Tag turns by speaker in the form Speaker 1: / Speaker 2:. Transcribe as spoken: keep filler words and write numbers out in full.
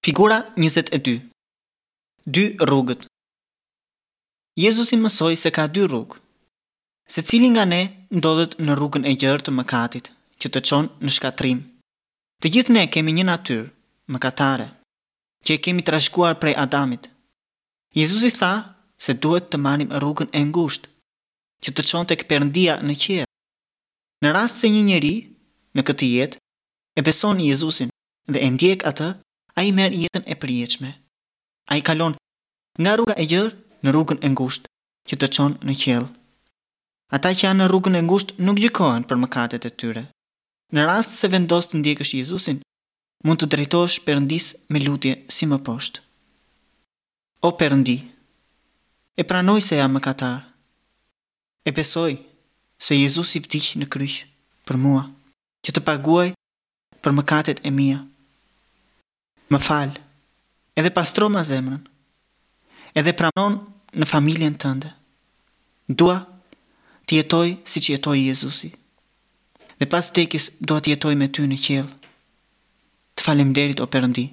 Speaker 1: Figura njëzet e dy. Dy rrugët. Jezusi mësoi se ka dy rrugë. Secili nga ne ndodhet në rrugën e gjerë të mëkatit, që të çon në shkatërrim. Të gjithë ne kemi një natyrë mëkatare, që e kemi trashëguar prej Adamit. Jezusi tha se duhet të marrim rrugën e ngushtë, që të çon tek Perëndia në qiell. Në rast se një njeri në këtë jetë e beson Jezusin dhe e ndjek atë, ai merr jetën e përjetshme. Ai kalon nga rruga e gjerë në rrugën e ngushtë, që të çon në qiell. Ata që janë në rrugën e ngushtë nuk gjykohen për mëkatet e tyre. Në rast se vendos të ndjekësh Jezusin, mund të drejtohesh Perëndisë me lutje si më poshtë. O Perëndi, e pranoj se jam mëkatar. E besoj se Jezusi vdiq në kryq për mua, që të paguaj për mëkatet e mia. Më fal, edhe pastroma zemrën, edhe pranon në familjen tënde. Dua të jetoj siç jetoi Jezusi. Dhe pas vdekjes dua të jetoj me ty në qiell. Të faleminderit, o Perëndi.